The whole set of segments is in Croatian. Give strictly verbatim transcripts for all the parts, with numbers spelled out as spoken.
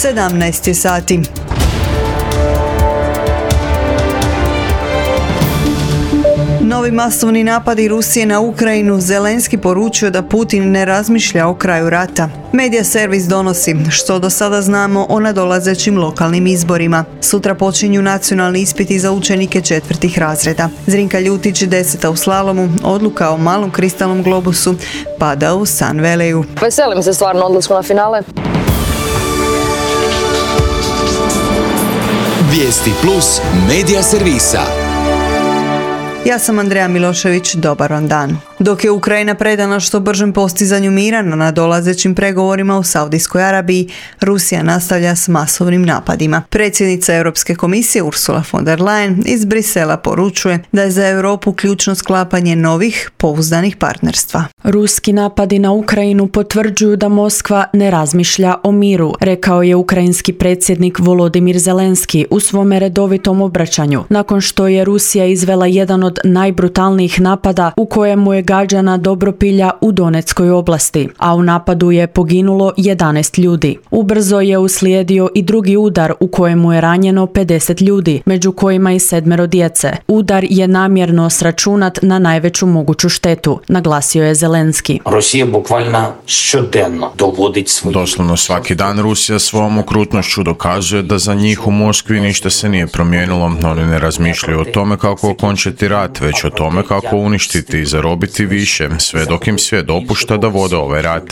sedamnaest je sati. Novi masovni napadi Rusije na Ukrajinu. Zelenski poručio da Putin ne razmišlja o kraju rata. Medija servis donosi što do sada znamo o nadolazećim lokalnim izborima. Sutra počinju nacionalni ispiti za učenike četvrtih razreda. Zrinka Ljutić, deseta u slalomu, odluka o malom kristalnom globusu pada u San Veleju. Veselim se stvarno odlasku na finale. Vijesti plus medija servisa. Ja sam Andreja Milošević, dobar vam dan. Dok je Ukrajina predana što bržem postizanju mira na nadolazećim pregovorima u Saudijskoj Arabiji, Rusija nastavlja s masovnim napadima. Predsjednica Europske komisije Ursula von der Leyen iz Brisela poručuje da je za Europu ključno sklapanje novih, pouzdanih partnerstva. Ruski napadi na Ukrajinu potvrđuju da Moskva ne razmišlja o miru, rekao je ukrajinski predsjednik Volodimir Zelenski u svome redovitom obraćanju, nakon što je Rusija izvela jedan od najbrutalnijih napada u kojemu je gađana Dobropilja u Donetskoj oblasti, a u napadu je poginulo jedanaest ljudi. Ubrzo je uslijedio i drugi udar u kojemu je ranjeno pedeset ljudi, među kojima i sedmero djece. Udar je namjerno sračunat na najveću moguću štetu, naglasio je Zelenski. Rusija bukvalno šodeno dovodi svoj... Doslovno svaki dan Rusija svom okrutnošću dokazuje da za njih u Moskvi ništa se nije promijenilo. Oni ne razmišljaju o tome kako okončati rat, već o tome kako uništiti i zarobiti više, sve dok im sve dopušta da vode ovaj rat.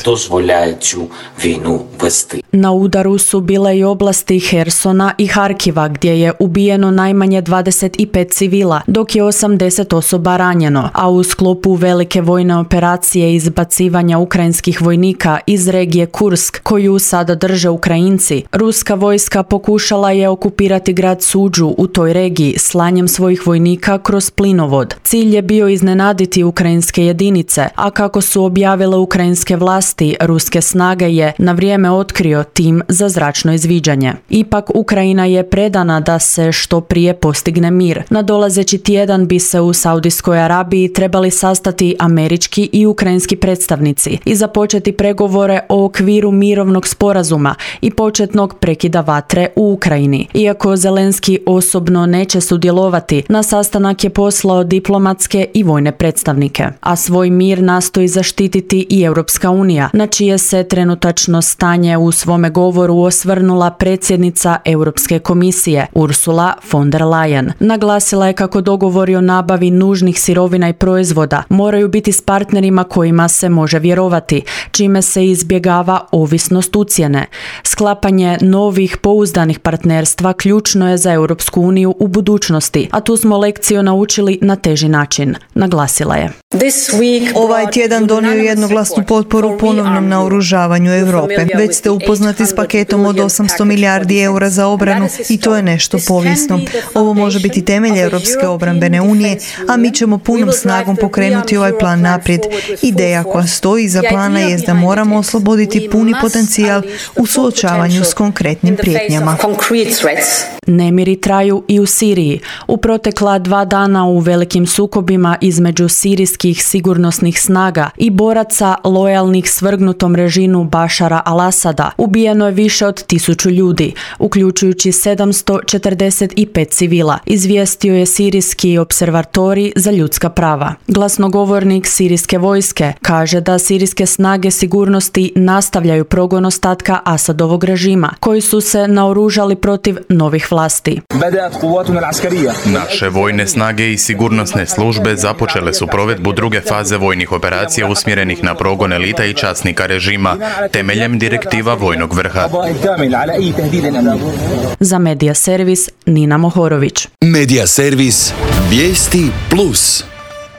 Na udaru su bile i oblasti Hersona i Harkiva, gdje je ubijeno najmanje dvadeset pet civila, dok je osamdeset osoba ranjeno, a u sklopu velike vojne operacije izbacivanja ukrajinskih vojnika iz regije Kursk, koju sada drže Ukrajinci, ruska vojska pokušala je okupirati grad Suđu u toj regiji slanjem svojih vojnika kroz plinovod. Cilj je bio iznenaditi ukrajinske jedinice, a kako su objavile ukrajinske vlasti, ruske snage je na vrijeme otkrio tim za zračno izviđanje. Ipak Ukrajina je predana da se što prije postigne mir. Nadolazeći tjedan bi se u Saudijskoj Arabiji trebali sastati američki i ukrajinski predstavnici i započeti pregovore o okviru mirovnog sporazuma i početnog prekida vatre u Ukrajini. Iako Zelenski osobno neće sudjelovati, na sastanak je poslao diplomatske i vojne predstavnike, a svoj mir nastoji zaštititi i Europska unija, na čije se trenutačno stanje u svome govoru osvrnula predsjednica Europske komisije Ursula von der Leyen. Naglasila je kako dogovori o nabavi nužnih sirovina i proizvoda moraju biti s partnerima kojima se može vjerovati, čime se izbjegava ovisnost ucjene. Sklapanje novih pouzdanih partnerstva ključno je za Europsku uniju u budućnosti, a tu smo lekciju naučili na teži način, naglasila je. Ovaj tjedan donio jednoglasnu potporu ponovnom naoružavanju Europe. Već ste upoznati s paketom od osamsto milijardi eura za obranu i to je nešto povijesno. Ovo može biti temelj Europske obrambene unije, a mi ćemo punom snagom pokrenuti ovaj plan naprijed. Ideja koja stoji iza plana je da moramo osloboditi puni potencijal u suočavanju s konkretnim prijetnjama. Nemiri traju i u Siriji. U protekla dva dana u velikim sukobima između sirijskih sigurnosnih snaga i boraca lojalnih svrgnutom režimu Bašara al-Asada ubijeno je više od tisuću ljudi, uključujući sedamsto četrdeset pet civila, izvijestio je Sirijski observatorij za ljudska prava. Glasnogovornik sirijske vojske kaže da sirijske snage sigurnosti nastavljaju progon ostatka Asadovog režima, koji su se naoružali protiv novih vlasti. Naše vojne snage i sigurnosne službe započele su provedbu druge faze vojnih operacija usmjerenih na progon elita i časnika režima, temeljem direktiva vojnog vrha. Za Medija servis Nina Mohorović. Medija servis Vijesti plus.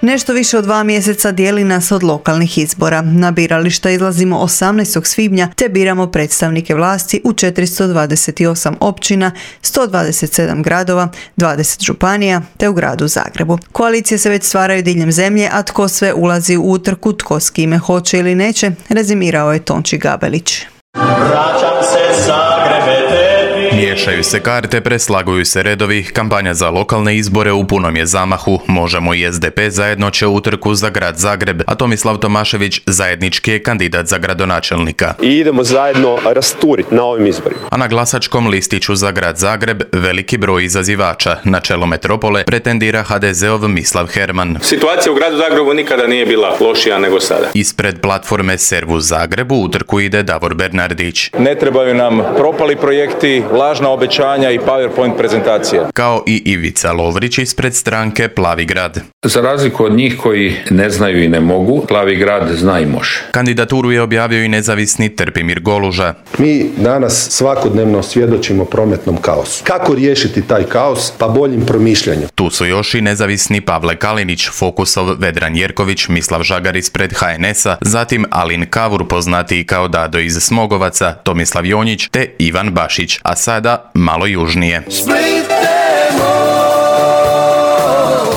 Nešto više od dva mjeseca dijeli nas od lokalnih izbora. Na birališta izlazimo osamnaestog svibnja te biramo predstavnike vlasti u četiristo dvadeset osam općina, sto dvadeset sedam gradova, dvadeset županija te u gradu Zagrebu. Koalicije se već stvaraju diljem zemlje, a tko sve ulazi u utrku, tko s kime hoće ili neće, rezimirao je Tonči Gabelić. Vraćam se Zagrebe tebi. Miješaju se karte, preslaguju se redovi, kampanja za lokalne izbore u punom je zamahu. Možemo i S D P zajedno će utrku za grad Zagreb, a Tomislav Tomašević zajednički je kandidat za gradonačelnika. I idemo zajedno rasturiti na ovim izborima. A na glasačkom listiću za grad Zagreb veliki broj izazivača. Na čelo metropole pretendira H D Z-ov Mislav Herman. Situacija u gradu Zagrebu nikada nije bila lošija nego sada. Ispred platforme Servus Zagrebu utrku ide Davor Bernardić. Ne trebaju nam propali projekti, lažna obećanja i PowerPoint prezentacije. Kao i Ivica Lovrić ispred stranke Plavi grad. Za razliku od njih koji ne znaju i ne mogu, Plavi grad zna i može. Kandidaturu je objavio i nezavisni Trpimir Goluža. Mi danas svakodnevno svjedočimo prometnom kaosu. Kako riješiti taj kaos? Pa boljim promišljanjem. Tu su još i nezavisni Pavle Kalinić, Fokusov Vedran Jerković, Mislav Žagar ispred H N S-a, zatim Alin Kavur, poznatiji kao Dado iz Smogovaca, Tomislav Jonjić te Ivan Bašić, a sada malo južnije.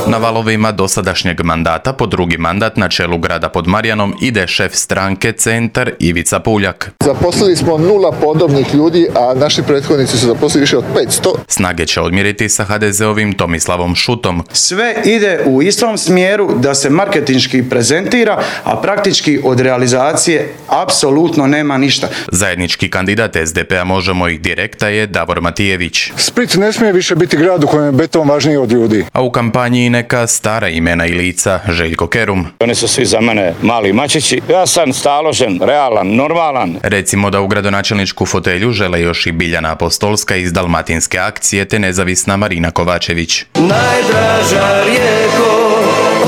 Na valovima dosadašnjeg mandata po drugi mandat na čelu grada pod Marjanom ide šef stranke Centar Ivica Puljak. Zaposlili smo nula podobnih ljudi, a naši prethodnici su zaposlili više od petsto. Snage će odmjeriti sa H D Z-ovim Tomislavom Šutom. Sve ide u istom smjeru da se marketinški prezentira, a praktički od realizacije apsolutno nema ništa. Zajednički kandidat S D P-a Možemo ih direkta je Davor Matijević. Split ne smije više biti grad u kojem je beton važniji od ljudi. A u kampanji neka stara imena i lica, Željko Kerum. Oni su svi za mene mali mačići. Ja sam staložen, realan, normalan. Recimo da u gradonačelničku fotelju žele još i Biljana Apostolska iz Dalmatinske akcije te nezavisna Marina Kovačević. Najdraža rijeko,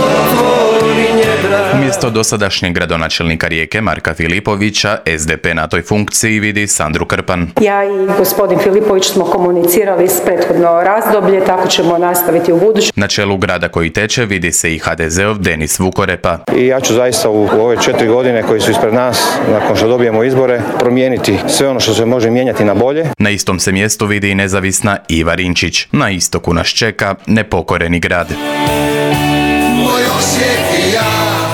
otvori njedra. Umjesto dosadašnjeg gradonačelnika Rijeke Marka Filipovića, S D P na toj funkciji vidi Sandru Krpan. Ja i gospodin Filipović smo komunicirali s prethodno razdoblje, tako ćemo nastaviti u budući. Na čelu grada koji teče vidi se i H D Z-ov Denis Vukorepa. I ja ću zaista u ove četiri godine koji su ispred nas, nakon što dobijemo izbore, promijeniti sve ono što se može mijenjati na bolje. Na istom se mjestu vidi i nezavisna Iva Rinčić. Na istoku nas čeka nepokoreni grad.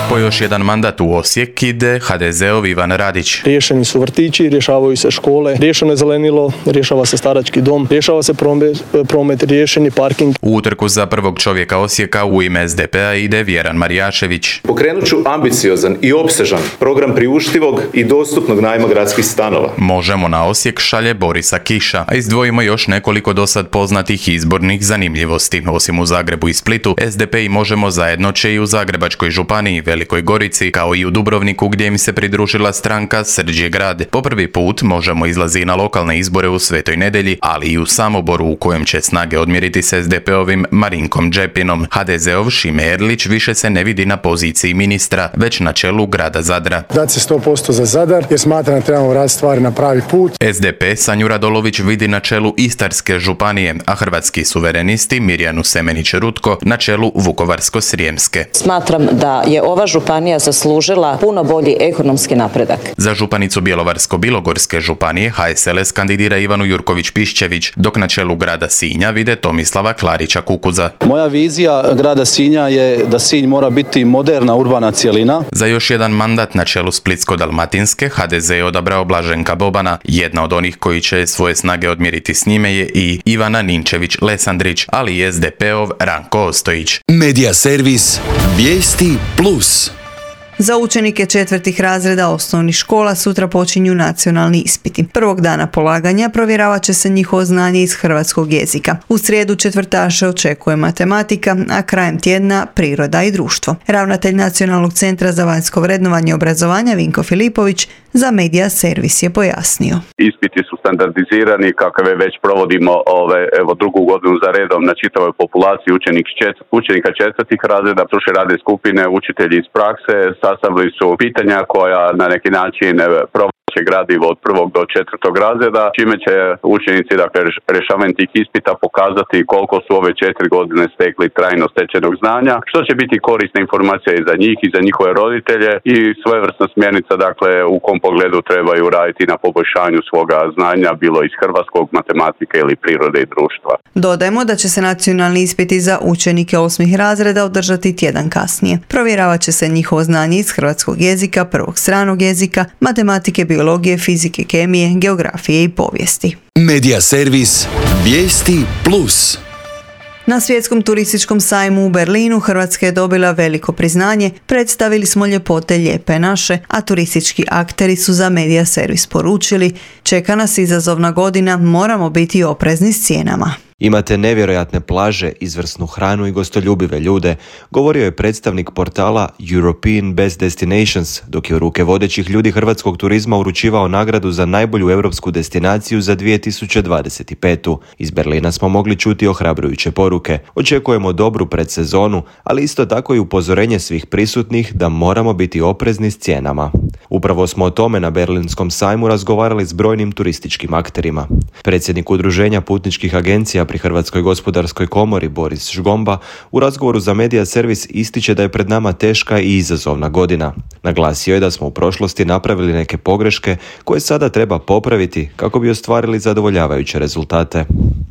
Po još jedan mandat u Osijek ide H D Z-ov Ivan Radić. Riješeni su vrtići, rješavaju se škole, riješeno je zelenilo, rješava se starački dom, rješava se promet, promet riješeni parking. U utrku za prvog čovjeka Osijeka u ime S D P-a ide Vjeran Marijašević. Pokrenut ću ambiciozan i opsežan program priuštivog i dostupnog najma gradskih stanova. Možemo na Osijek šalje Borisa Kiša, a izdvojimo još nekoliko dosad poznatih izbornih zanimljivosti. Osim u Zagrebu i Splitu, S D P i Možemo zajedno će i u Zagrebačkoj županiji, Velikoj Gorici, kao i u Dubrovniku gdje im se pridružila stranka Srđe grad. Po prvi put Možemo izlazi na lokalne izbore u Svetoj Nedelji, ali i u Samoboru u kojem će snage odmjeriti s S D P-ovim Marinkom Džepinom. H D Z-ov Šime Erlić više se ne vidi na poziciji ministra, već na čelu grada Zadra. Dat se sto posto za Zadar jer smatram da trebamo raditi stvari na pravi put. S D P Sanju Radolović vidi na čelu Istarske županije, a Hrvatski suverenisti Mirjanu Semenić-Rutko na čelu Vukovarsko-srijemske. Smatram da je ova županija zaslužila puno bolji ekonomski napredak. Za županicu Bjelovarsko-bilogorske županije H S L S kandidira Ivanu Jurković-Pišćević, dok na čelu grada Sinja vide Tomislava Klarića Kukuza. Moja vizija grada Sinja je da Sinj mora biti moderna urbana cjelina. Za još jedan mandat na čelu Splitsko-dalmatinske H D Z je odabrao Blaženka Bobana. Jedna od onih koji će svoje snage odmjeriti s njime je i Ivana Ninčević-Lesandrić, ali i S D P-ov Ranko Ostojić. Medija servis Vijesti plus. Za učenike četvrtih razreda osnovnih škola sutra počinju nacionalni ispiti. Prvog dana polaganja provjeravat će se njihovo znanje iz hrvatskog jezika. U srijedu četvrtaše očekuje matematika, a krajem tjedna priroda i društvo. Ravnatelj Nacionalnog centra za vanjsko vrednovanje obrazovanja Vinko Filipović za Medija servis je pojasnio. Ispiti su standardizirani kakve već provodimo ove, evo, drugu godinu za redom na čitavoj populaciji učenik čet, učenika četvrtih razreda, stručne radne skupine, učitelji iz prakse, sastavili su pitanja koja na neki način provlače gradivo od prvog do četvrtog razreda, čime će učenici, dakle, rješavanjem tih ispita pokazati koliko su ove četiri godine stekli trajno stečenog znanja, što će biti korisna informacija i za njih i za njihove roditelje i svojevrsna smjernica, dakle, u kom pogledu trebaju raditi na poboljšanju svoga znanja, bilo iz hrvatskog, matematike ili prirode i društva. Dodajmo da će se nacionalni ispiti za učenike osmih razreda održati tjedan kasnije. Provjeravat će se njihovo znanje iz hrvatskog jezika, prvog stranog jezika, matematike, biologije biologije, fizike, kemije, geografije i povijesti. Medija servis Vijesti plus. Na svjetskom turističkom sajmu u Berlinu Hrvatska je dobila veliko priznanje, predstavili smo ljepote lijepe naše, a turistički akteri su za Medija servis poručili: čeka nas izazovna godina, moramo biti oprezni s cijenama. Imate nevjerojatne plaže, izvrsnu hranu i gostoljubive ljude, govorio je predstavnik portala European Best Destinations, dok je u ruke vodećih ljudi hrvatskog turizma uručivao nagradu za najbolju europsku destinaciju za dvije tisuće dvadeset pet. Iz Berlina smo mogli čuti ohrabrujuće poruke. Očekujemo dobru predsezonu, ali isto tako i upozorenje svih prisutnih da moramo biti oprezni s cijenama. Upravo smo o tome na Berlinskom sajmu razgovarali s brojnim turističkim akterima. Predsjednik Udruženja putničkih agencija pri Hrvatskoj gospodarskoj komori Boris Žgomba u razgovoru za Medija servis ističe da je pred nama teška i izazovna godina. Naglasio je da smo u prošlosti napravili neke pogreške koje sada treba popraviti kako bi ostvarili zadovoljavajuće rezultate.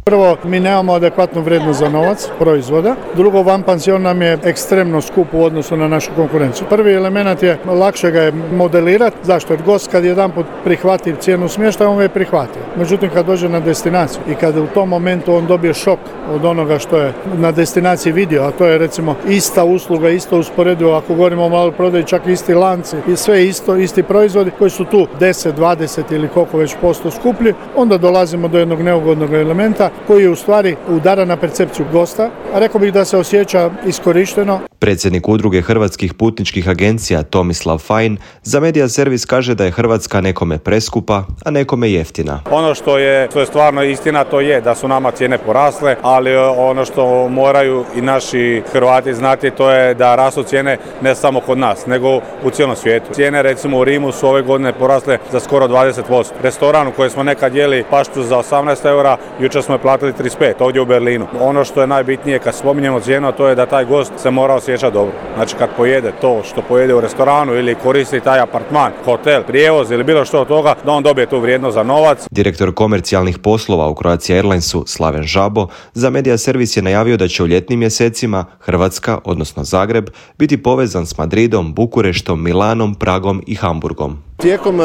Prvo, mi nemamo adekvatnu vrijednost za novac proizvoda. Drugo, vanpansion nam je ekstremno skup u odnosu na našu konkurenciju. Prvi element je, lakše ga je modelirati. Zašto? Jer gost kad jedanput prihvati cijenu smještaja, on ga je prihvatio. Međutim, kad dođe na destinaciju i kad u tom momentu on dobije šok od onoga što je na destinaciji vidio, a to je recimo ista usluga, isto usporedivo, ako govorimo o maloprodaji, čak isti lanci i sve isto, isti proizvodi koji su tu deset, dvadeset ili koliko već posto skuplji, onda dolazimo do jednog neugodnog elementa koji je u stvari udara na percepciju gosta, a rekao bih da se osjeća iskorišteno. Predsjednik Udruge hrvatskih putničkih agencija Tomislav Fajn za Medija servis kaže da je Hrvatska nekome preskupa, a nekome jeftina. Ono što je, što je stvarno istina, to je da su nama cijene porasle, ali ono što moraju i naši Hrvati znati, to je da rastu cijene ne samo kod nas, nego u cijelom svijetu. Cijene recimo u Rimu su ove godine porasle za skoro dvadeset posto. Restoran u kojem smo nekad jeli paštu za osamnaest eura, jučer smo je platili trideset pet ovdje u Berlinu. Ono što je najbitnije kad spominjemo cijenu, to je da taj gost se mora osjećati dobro. Znači kad pojede to što pojede u restoranu ili koristi taj apartman, hotel, prijevoz ili bilo što od toga, da on dobije tu vrijednost za novac. Direktor komercijalnih poslova u Croatia Airlinesu Slaven Žabo za Medija servis je najavio da će u ljetnim mjesecima Hrvatska, odnosno Zagreb, biti povezan s Madridom, Bukureštom, Milanom, Pragom i Hamburgom. Tijekom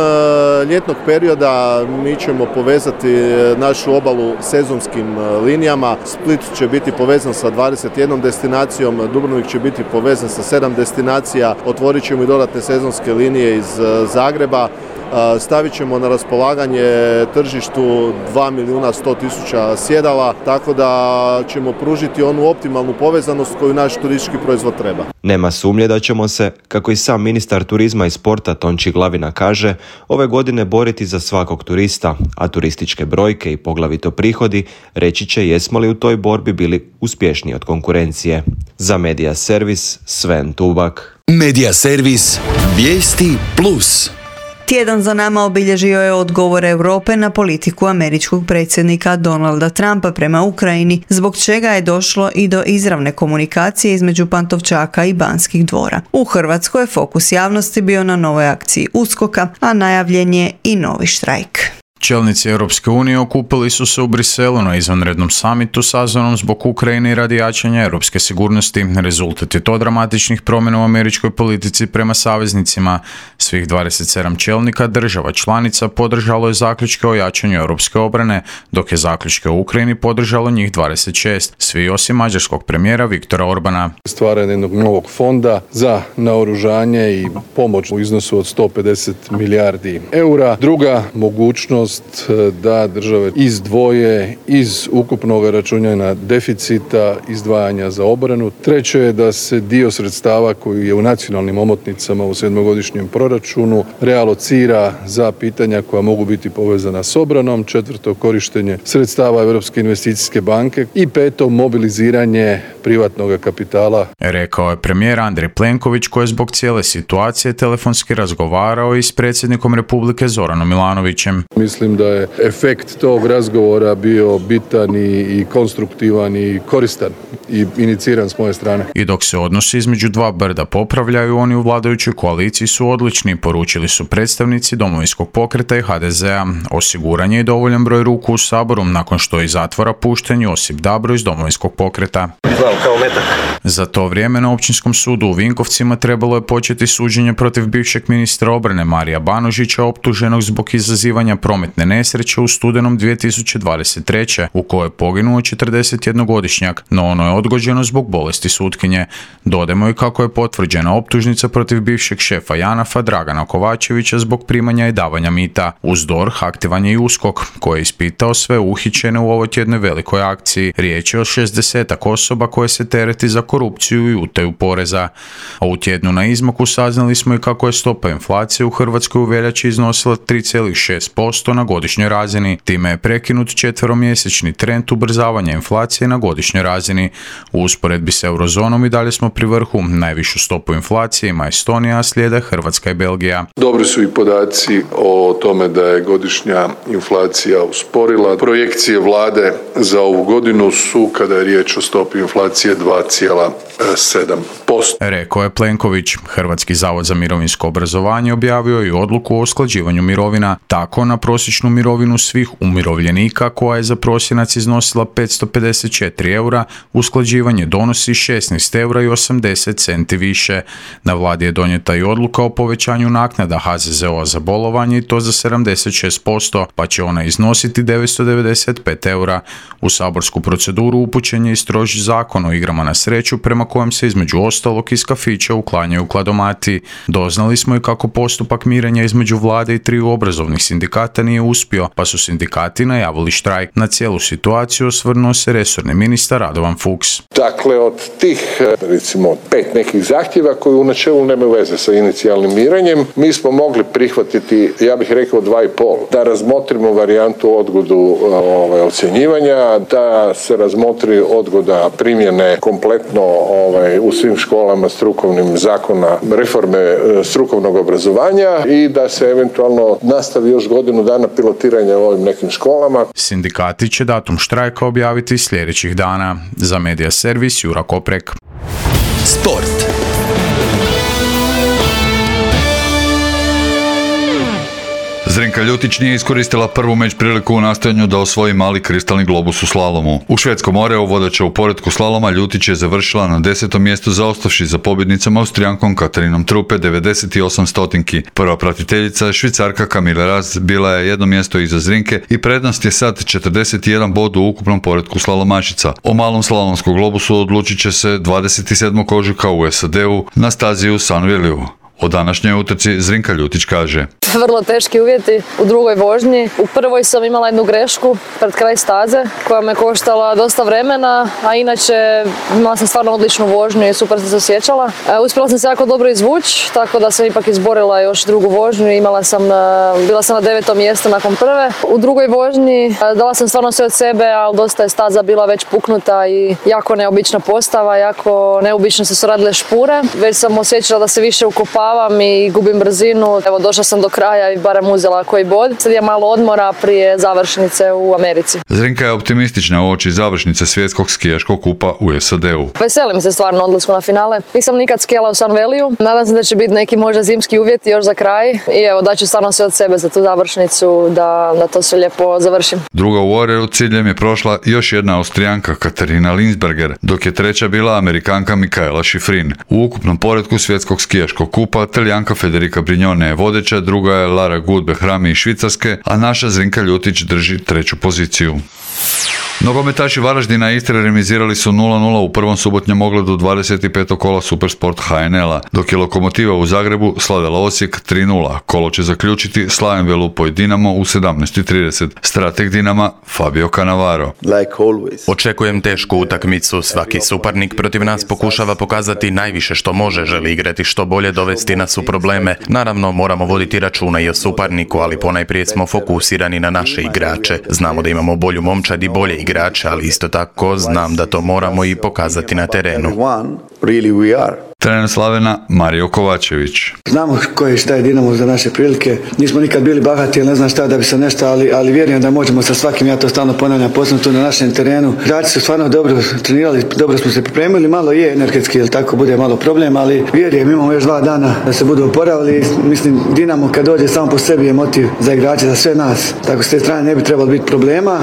ljetnog perioda mi ćemo povezati našu obalu sezonskim linijama. Split će biti povezan sa dvadeset jednom destinacijom, Dubrovnik će biti povezan sa sedam destinacija, otvorit ćemo i dodatne sezonske linije iz Zagreba. Stavit ćemo na raspolaganje tržištu dva milijuna sto tisuća sjedala, tako da ćemo pružiti onu optimalnu povezanost koju naš turistički proizvod treba. Nema sumnje da ćemo se, kako i sam ministar turizma i sporta Tonči Glavina kaže, ove godine boriti za svakog turista, a turističke brojke i poglavito prihodi reći će jesmo li u toj borbi bili uspješniji od konkurencije. Za Medija servis Sven Tubak. Medija servis Vijesti plus. Tjedan za nama obilježio je odgovor Europe na politiku američkog predsjednika Donalda Trumpa prema Ukrajini, zbog čega je došlo i do izravne komunikacije između Pantovčaka i Banskih dvora. U Hrvatskoj je fokus javnosti bio na novoj akciji USKOK-a, a najavljen je i novi štrajk. Čelnici Europske unije okupili su se u Briselu na izvanrednom samitu sazvanom zbog Ukrajine i radi jačanja europske sigurnosti. Rezultat je to dramatičnih promjena u američkoj politici prema saveznicima. Svih dvadeset sedam čelnika država članica podržalo je zaključke o jačanju europske obrane, dok je zaključke o Ukrajini podržalo njih dvadeset šest, svi osim mađarskog premijera Viktora Orbana. Stvaranje jednog novog fonda za naoružanje i pomoć u iznosu od sto pedeset milijardi eura. Druga mogućnost da države izdvoje iz ukupnog računanja deficita izdvajanja za obranu. Treće je da se dio sredstava koji je u nacionalnim omotnicama u sedmogodišnjem proračunu realocira za pitanja koja mogu biti povezana s obranom. Četvrto, korištenje sredstava Europske investicijske banke i peto, mobiliziranje privatnog kapitala. Rekao je premijer Andrej Plenković, koji je zbog cijele situacije telefonski razgovarao i s predsjednikom Republike Zoranom Milanovićem. Mislim mislim da je efekt tog razgovora bio bitan i, i konstruktivan i koristan i iniciran s moje strane. I dok se odnosi između dva brda popravljaju, oni u vladajućoj koaliciji su odlični, poručili su predstavnici Domovinskog pokreta i ha de zea. Osiguran je i dovoljan broj ruku u Saboru, nakon što je iz zatvora pušten Josip Dabro iz Domovinskog pokreta. Znam, kao metak. Za to vrijeme na Općinskom sudu u Vinkovcima trebalo je početi suđenje protiv bivšeg ministra obrane Marija Banožića, optuženog zbog izazivanja prometne nesreće u studenom dvije tisuće dvadeset treće u kojoj je poginuo četrdesetjednogodišnjak, no ono je odgođeno zbog bolesti sutkinje. Dodajmo i kako je potvrđena optužnica protiv bivšeg šefa Janafa Dragana Kovačevića zbog primanja i davanja mita. Uz D O R H aktivan je i USKOK, koji je ispitao sve uhićene u ovoj tjednoj velikoj akciji. Riječ je o šezdesetak osoba koje se tereti za korupciju i utaju poreza. A u tjednu na izmaku saznali smo i kako je stopa inflacije u Hrvatskoj u veljači iznosila tri zarez šest posto na godišnjoj razini. Time je prekinut četveromjesečni trend ubrzavanja inflacije na godišnjoj razini. U usporedbi s eurozonom i dalje smo pri vrhu. Najvišu stopu inflacije ima Estonija, a slijede Hrvatska i Belgija. Dobri su i podaci o tome da je godišnja inflacija usporila. Projekcije vlade za ovu godinu su, kada je riječ o stopi inflacije, dva zarez sedam posto. Rekao je Plenković. Hrvatski zavod za mirovinsko obrazovanje objavio i odluku o usklađivanju mirovina. Tako na prosječnu mirovinu svih umirovljenika, koja je za prosinac iznosila petsto pedeset četiri eura, usklađivanje donosi šesnaest eura i osamdeset centi više. Na vladi je donijeta i odluka o povećanju naknada ha ze ze o za bolovanje i to za sedamdeset šest posto, pa će ona iznositi devetsto devedeset pet eura. U saborsku proceduru upućen je i stroži zakon o igrama na sreću, prema kojem se između ostalog iz kafića uklanjaju kladomati. Doznali smo i kako postupak mirenja između vlade i triju obrazovnih sindikata nije uspio, pa su sindikati najavili štrajk. Na cijelu situaciju osvrnuo se resorni ministar Radovan Fuchs. Dakle, od tih, recimo, pet nekih zahtjeva koji u načelu nemaju veze sa inicijalnim mirenjem, mi smo mogli prihvatiti, ja bih rekao, dva i pol. Da razmotrimo varijantu odgodu ovaj, ocjenjivanja, da se razmotri odgoda primjene kompletno ovaj, u svim školama strukovnim zakona reforme strukovnog obrazovanja i da se eventualno nastavi još godinu dana pilotiranja u ovim nekim školama. Sindikati će datum štrajka objaviti sljedećih dana. Za Medija servis Jura Koprek. Sport. Zrinka Ljutić nije iskoristila prvu meč priliku u nastojanju da osvoji mali kristalni globus u slalomu. U švedskom Oreu, vodeća u poretku slaloma, Ljutić je završila na desetom mjestu, zaostavši za pobjednicom Austrijankom Katarinom Trupe devedeset osam stotinki. Prva pratiteljica, Švicarka Kamila Raz, bila je jedno mjesto iza Zrinke i prednost je sad četrdeset jedan bod u ukupnom poretku slalomašica. O malom slalomskom globusu odlučit će se dvadeset sedmog ožujka u es a de u na stazi u Sunvilleu. O današnjoj utrci Zrinka Ljutić kaže: Vrlo teški uvjeti u drugoj vožnji. U prvoj sam imala jednu grešku pred kraj staze koja me koštala dosta vremena, a inače imala sam stvarno odličnu vožnju i super sam se osjećala. Uspjela sam se jako dobro izvući, tako da sam ipak izborila još drugu vožnju. Imala sam, bila sam na devetom mjestu nakon prve. U drugoj vožnji dala sam stvarno sve od sebe, ali dosta je staza bila već puknuta i jako neobična postava, jako neobično se su radile špure. Već sam osjećala da se više ukopava i gubim brzinu. Evo, došla sam do kraja i barem uzela koji bod. Sad je malo odmora prije završnice u Americi. Zrinka je optimistična uoči završnice svjetskog skijaškog kupa u es a de u. Veselim se stvarno odlasku na finale. Nisam nikad skijala u Sunvilleu. Nadam se da će biti neki možda zimski uvjeti još za kraj. I evo, daću stvarno sve od sebe za tu završnicu, da, da to sve lijepo završim. Druga u Oreu ciljem je prošla još jedna Austrijanka Katarina Linsberger, dok je treća bila Amerikanka Mikaela Schifrin. U ukupnom poretku svjetskog skijaškog kupa Talijanka Federica Brignone je vodeća, druga je Lara Gut-Behrami iz Švicarske, a naša Zrinka Ljutić drži treću poziciju. Nogometaši Varaždina i Istre remizirali su nula nula u prvom subotnjem ogledu dvadeset petog kola Supersport ha en el-a, dok je Lokomotiva u Zagrebu slavila Osijek tri nula. Kolo će zaključiti Slaven Velupoj Dinamo u sedamnaest trideset. Strateg Dinama Fabio Cannavaro. Like always. Očekujem tešku utakmicu. Svaki suparnik protiv nas pokušava pokazati najviše što može, želi igrati što bolje, dovesti nas u probleme. Naravno, moramo voditi računa i o suparniku, ali ponajprije smo fokusirani na naše igrače. Znamo da imamo bolju momčad i bolje igrače igrače, ali isto tako znam da to moramo i pokazati na terenu. Trener Slavena Mario Kovačević. Znamo koje šta je Dinamo za naše prilike. Nismo nikad bili bahati, ili ne znam šta da bi se nešto, ali, ali vjerujem da možemo sa svakim, ja to stalno ponavljam, posebno tu na našem terenu. Igrači su stvarno dobro trenirali, dobro smo se pripremili, malo je energetski, ili tako bude malo problem, ali vjerujem, imamo još dva dana da se budu oporavili. Mislim, Dinamo kad dođe samo po sebi je motiv za igrače, za sve nas. Tako s te strane ne bi trebalo biti problema.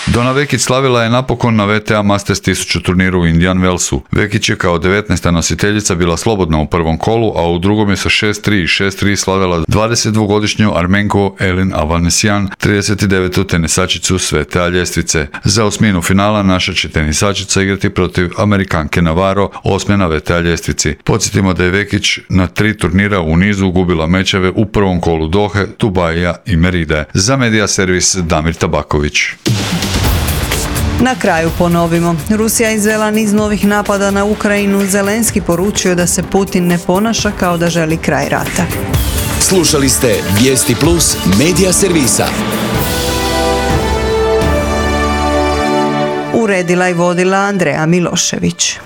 Donna Vekić slavila je napokon na V T A Masters tisuću turniru u Indian Wellsu. Vekić je kao devetnaesta nositeljica bila slobodna u prvom kolu, a u drugom je sa šest tri i šest tri slavila dvadesetdvogodišnju Armenku Elin Avanesyan, trideset devetu tenisačicu s V T A ljestvice. Za osminu finala naša će tenisačica igrati protiv Amerikanke Navarro, osme na V T A ljestvici. Podsjetimo da je Vekić na tri turnira u nizu gubila mečeve u prvom kolu Dohe, Dubaija i Meride. Za Media Servis Damir Tabaković. Na kraju ponovimo. Rusija izvela niz novih napada na Ukrajinu. Zelenski poručio da se Putin ne ponaša kao da želi kraj rata. Slušali ste Vijesti Plus Media Servisa. Uredila i vodila Andreja Milošević.